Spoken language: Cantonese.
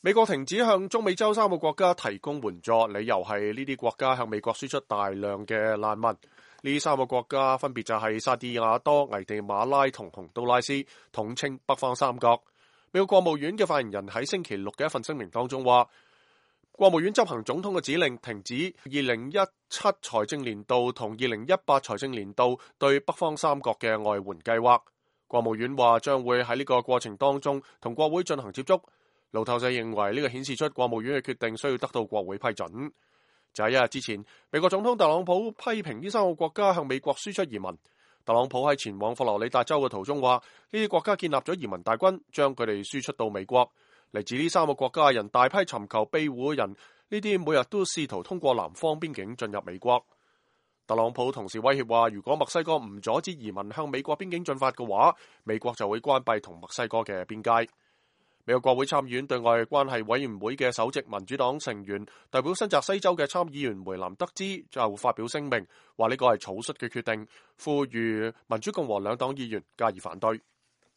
美國停止向中美洲3個國家提供援助，理由係呢啲國家向美國輸出大量嘅難民。呢3個國家分別就係薩爾瓦多、危地馬拉同洪都拉斯，統稱北方三國。美國國務院嘅發言人喺星期六嘅一份聲明當中話，國務院執行總統嘅指令，停止2017財政年度同2018財政年度對北方三國嘅外援計劃。國務院話將會喺呢個過程當中同國會進行接觸。路透社認為呢個顯示出國務院嘅決定需要得到國會批准。就喺1日之前，美國總統特朗普批評呢3個國家向美國輸出移民。特朗普喺前往佛羅里達州嘅途中話，呢啲國家建立咗移民大軍，將佢哋輸出到美國。嚟自呢3個國家嘅人大批尋求庇護嘅人，呢啲每日都試圖通過南方邊境進入美國。特朗普同時威脅話，如果墨西哥唔阻止移民向美國邊境進發嘅話，美國就會關閉同墨西哥嘅邊界。美國國會參議院對外關係委員會嘅首席民主黨成員、代表新澤西州嘅參議員梅蘭德茲就發表聲明，話呢個係草率嘅決定，呼籲民主共和兩黨議員加以反對。